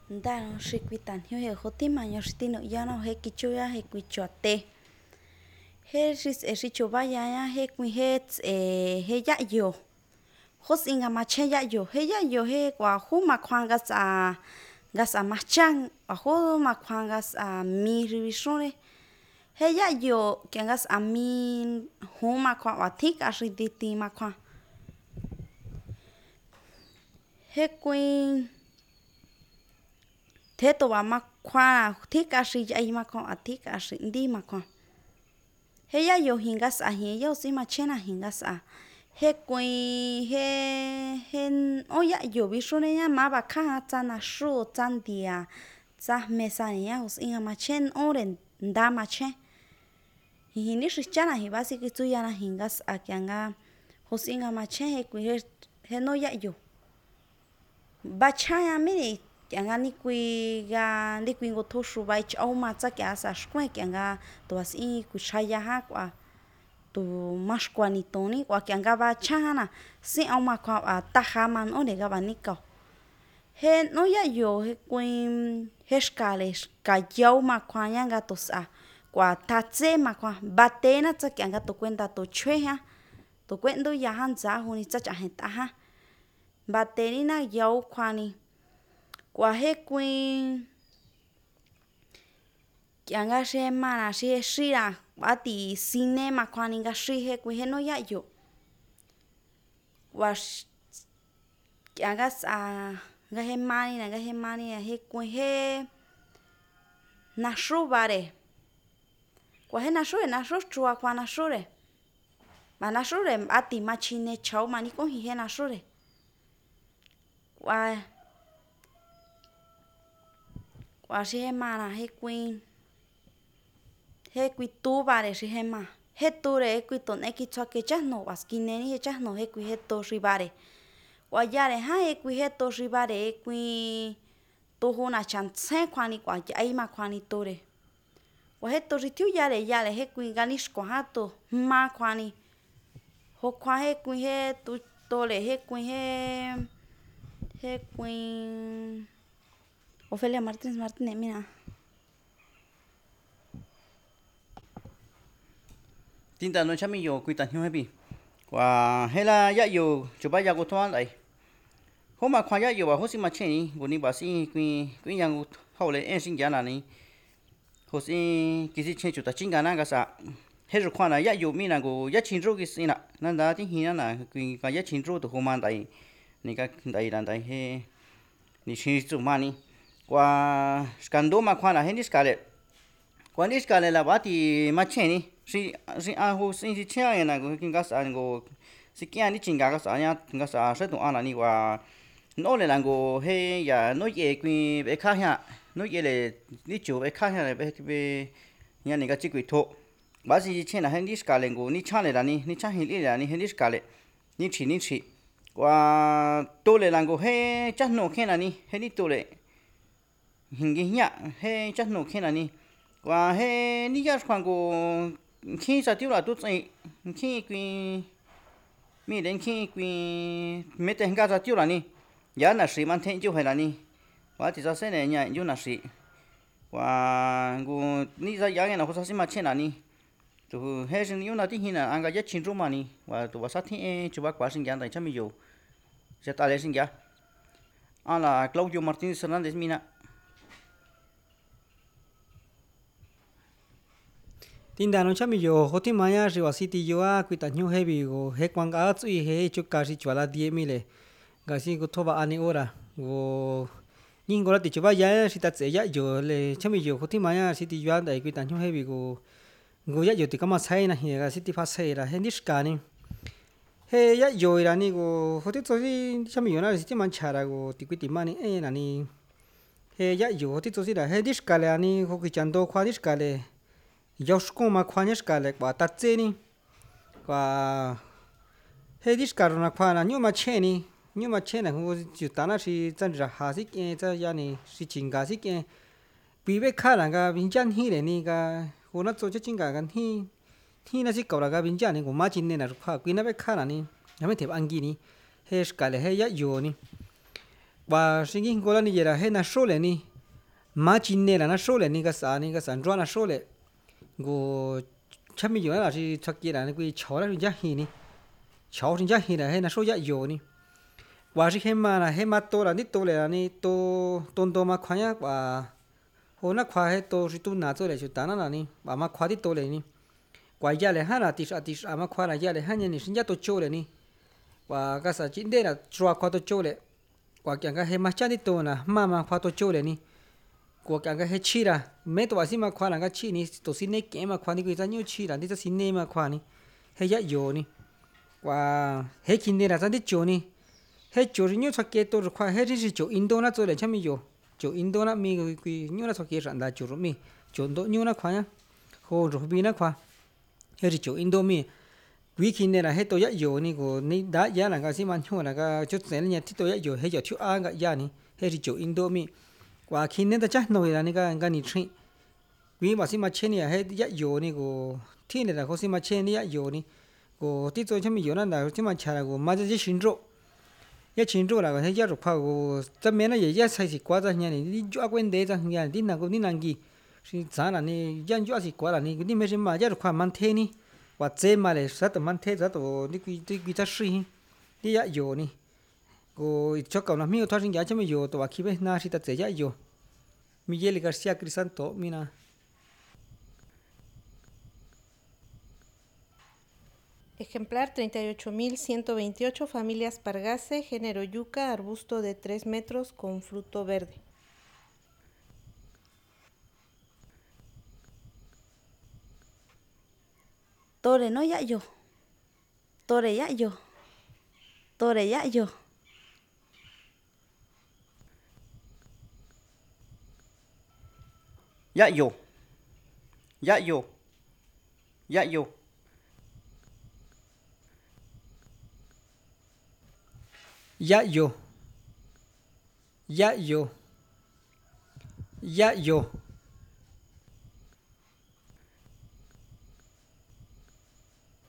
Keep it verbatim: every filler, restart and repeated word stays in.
nda nó xí quy tàn hiu hệ khó tim mà nhau xí tin nội ya nó hệ kí chú ya hệ quy chuột tê hệ xí xí chú ba ya ya hệ quy hệ hệ ya yo khó xin ngắm mà chơi ya yo hệ ya yo hệ quả khu mà khoang gas à gas à mà chăng quả khu mà khoang gas à mi rì xuống đấy hệ ya yo cái gas à mi khu mà khoang quả thích à xí tì tì mà khoang hệ quy thế tôi bảo mà khoa thích cái gì vậy mà con thích cái gì đi mà con thế ya yo hình cái啥hình yo gì mà trên là hình cái啥he quỳ he he ôi ya yo ví dụ này mà bà khá chân là số chân đi à chân mẹ sa này ya hình mà trên ôi đến đa mà trên hình như là chân là hình bác sĩ cái chú ya là hình cái啥cái nga hình mà trên he quỳ he he nó ya yo bà cha ya mình cái nga ni quy ga ni quy ngô thô su vai cháu mà chắc cái sao square cái nga tôi xin quy chai ya ha qua tôi mas qua ni tôi ni qua cái nga ba cha na xin ông mà qua à ta ha man ở đây cái bạn ni câu he nó ya yo he quy he scale cái dấu mà qua yang ga tôi sa qua ta chế mà qua ba tế na chắc cái nga tôi quên ta tôi chơi ha tôi quên tôi ya han giá hồ ni chắc chả hết ta ha ba tế ni na dấu qua ni qua hết quên cái nga xem mà là xem xí là bà tí cine mà quan những cái xí hết quên hết nó ya yo qua cái nga à cái hết mà này cái hết mà này hết quên hết na số ba đấy qua hết na số đấy na số chua qua na số đấy mà na số đấy bà tí mà chín này cháu mà ní cũng hết na số đấy qua qua si mà là hết quên hết quy tu bà để si hết mà hết tu để quy tuần ấy cái cho cái chắc nổ và skin này hết chắc nổ hết quy hết tu si bà để qua giờ để hai hết quy hết tu si bà để quy tu hồ na chẳng xe khoan đi qua cái ấy mà khoan đi tu để qua hết tu si thiếu giờ để giờ để hết quy ganish qua hát tu mà khoan đi hồ khoan hết quy hết tu tu để hết quy hết hết quy Ofelia Martínez Martínez, mira. Tin ta nói chăm mình yo quy tận hiu hay bi. Và hay là ya yo chụp bài ya của thằng này. Hôm mà khoa ya yo và hôm sinh mà chơi ni, bữa nay bà sĩ quy quy yang hậu lệ em sinh ra là ni. Hôm sinh cái gì chơi chụp ta chính cái nào cái sao. Hết rồi khoa này ya yo mi là go ya chín rô cái gì nè. Nên đã tiếng hiền là quy cái ya chín rô từ hôm mà đây. Ni cái đây là đây he. Ni chín rô mà ni. Qua scandal mà khoan là hết scale, qua hết scale là bắt thì mà chơi ni, si si à hồ si si chơi này cái cái sao ngo si kia ni chính cái sao nhá, cái sao sẽ tụng anh là ni qua nó là ngo hay ya nó ye quy về khác ha, nó ye là ni chủ về khác ha là về về nhà này cái chỉ quy thô, bắt si chơi là hết scale ngo ni chơi là ni ni chơi hết là ni hết scale, ni chỉ ni chỉ, qua tôi là ngo hay chắc nó khi là ni hết ni tôi là hình cái nhạ hay chắc nổ khi nào ni và hay ní cái khoảng của khi sao tiêu là tốt ấy khi quy mi đến khi quy mấy tên cái sao tiêu là ni giá là sĩ man thêm tiêu hay là ni và thì sao sẽ này nhỉ tiêu là sĩ và của ní ra giá cái nào có sao mà trên là ni tụ hay sinh yêu là tí hình là anh cái giá chín trăm mà ni và tụ vào sát thì chú bác quá sinh giá tại chắc mình dùng sẽ ta lấy sinh giá anh là Claudio Martínez Hernández mina tin đàn nó mi yo hoti maya riwa city yo a quy tận nhau hay bị go he quang cá chui he chụp cá si chua la die mi le gà si go thoba ani ora go nhưng go la ti chuba ya si ta tse ya yo le chami yo hoti maya city yo dai quy tận nhau hay bị go go ya yo ti kama sai na he gà city fa sai la he niska ni he ya yo ra ni go hoti to si chami yo na si ti man chara go ti quy ti mani e na ni he ya yo hoti to si la he niska le ani ho ki chando khwa niska le Yoshko mà khoa nhất cả lại quả tát chế ni, quả hết đi cả rồi na khoa là nhưng mà chế ni, nhưng mà chế này không chịu tán là chỉ chân ra hà xích cái chân ya ni, chỉ chính cả xích cái, bị bị khá là cái bình chân hi này ni cái, hôm nay tôi cho chính cả cái hi, hi là chỉ cầu là cái bình chân ni, của má chính này là khoa, quý nó bị khá là ni, nó mới thiệp ăn gì ni, hết cả lại hết ya yo ni, và sinh kinh gọi là như vậy là hết là số lệ ni mà chín nè là nó số lệ ni cái sản ni cái sản rõ là số lệ của chắc mình nói là chỉ chắc kia là cái cháu là giá hi ni cháu thì giá hi là hết là số giá nhiều ni và chỉ hết mà là hết mà to là nít to là ni to tôn to mà khoa nhá và hôm nay khoa hết to chỉ tu nát cho lại chỉ tán là ni và mà khoa thì to lại ni và giá lại hai là tí sa tí sa mà khoa là giá lại hai nhân sinh giá to châu lại ni và cái sản chính đây là chua khoa to châu lại và cái cái hết mà chán thì to là mà mà khoa to châu lại ni của cái cái hết chi là mấy tổ sĩ mà khoa là cái chi ni tổ sĩ này cái mà khoa ni người ta nhiều chi là đi ta xin này mà khoa ni hết giá nhiều ni và hết kinh này là ta đi chỗ ni hết chỗ nhiều sắc kế tôi khoa hết đi chỗ Indo na chỗ để chăm mi nhiều chỗ Indo na mi cái cái nhiều là sắc kế sản là chỗ rồi mi chỗ đó nhiều là khoa nhá hồ rồi bi na khoa hết đi chỗ Indo mi quý kinh này là hết tôi giá nhiều ni của ni đã giá là cái gì mà nhiều là cái chút tiền này thì tôi giá nhiều hết chỗ thiếu ăn cái giá ni hết đi chỗ Indo mi và khi nên ta chắc nói là cái cái này chuyện quý mà xin mà chơi này hết giá nhiều ni của thiên này là có xin mà chơi này giá nhiều ni của tí tôi chăm mi nhiều là chỉ mà trả là của mà chỉ xin rồi giá chín rồi là cái giá rục phao của tấm miếng nó vậy giá sai xịt quá ra nhà này đi chỗ quên đấy ra nhà đi nào cũng đi nàng gì giá là này giá chỗ xịt quá là này đi mấy cái mà giá rục phao mang thế ni và chế mà lại sát tầm mang thế sát tầm đi quy đi quy ta suy đi giá nhiều ni của cho cậu nào miêu thoát sinh giá cho mình nhiều tụi khi bên na thì ta chế giá nhiều Miguel García Crisanto mina Ejemplar treinta y ocho mil ciento veintiocho, familias Pargase, género yuca, arbusto de tres metros con fruto verde. Tore no ya yo. Tore ya yo. Tore ya yo. Dạ yo. Dạ yo. Dạ yo. giá yo giá yo giá yo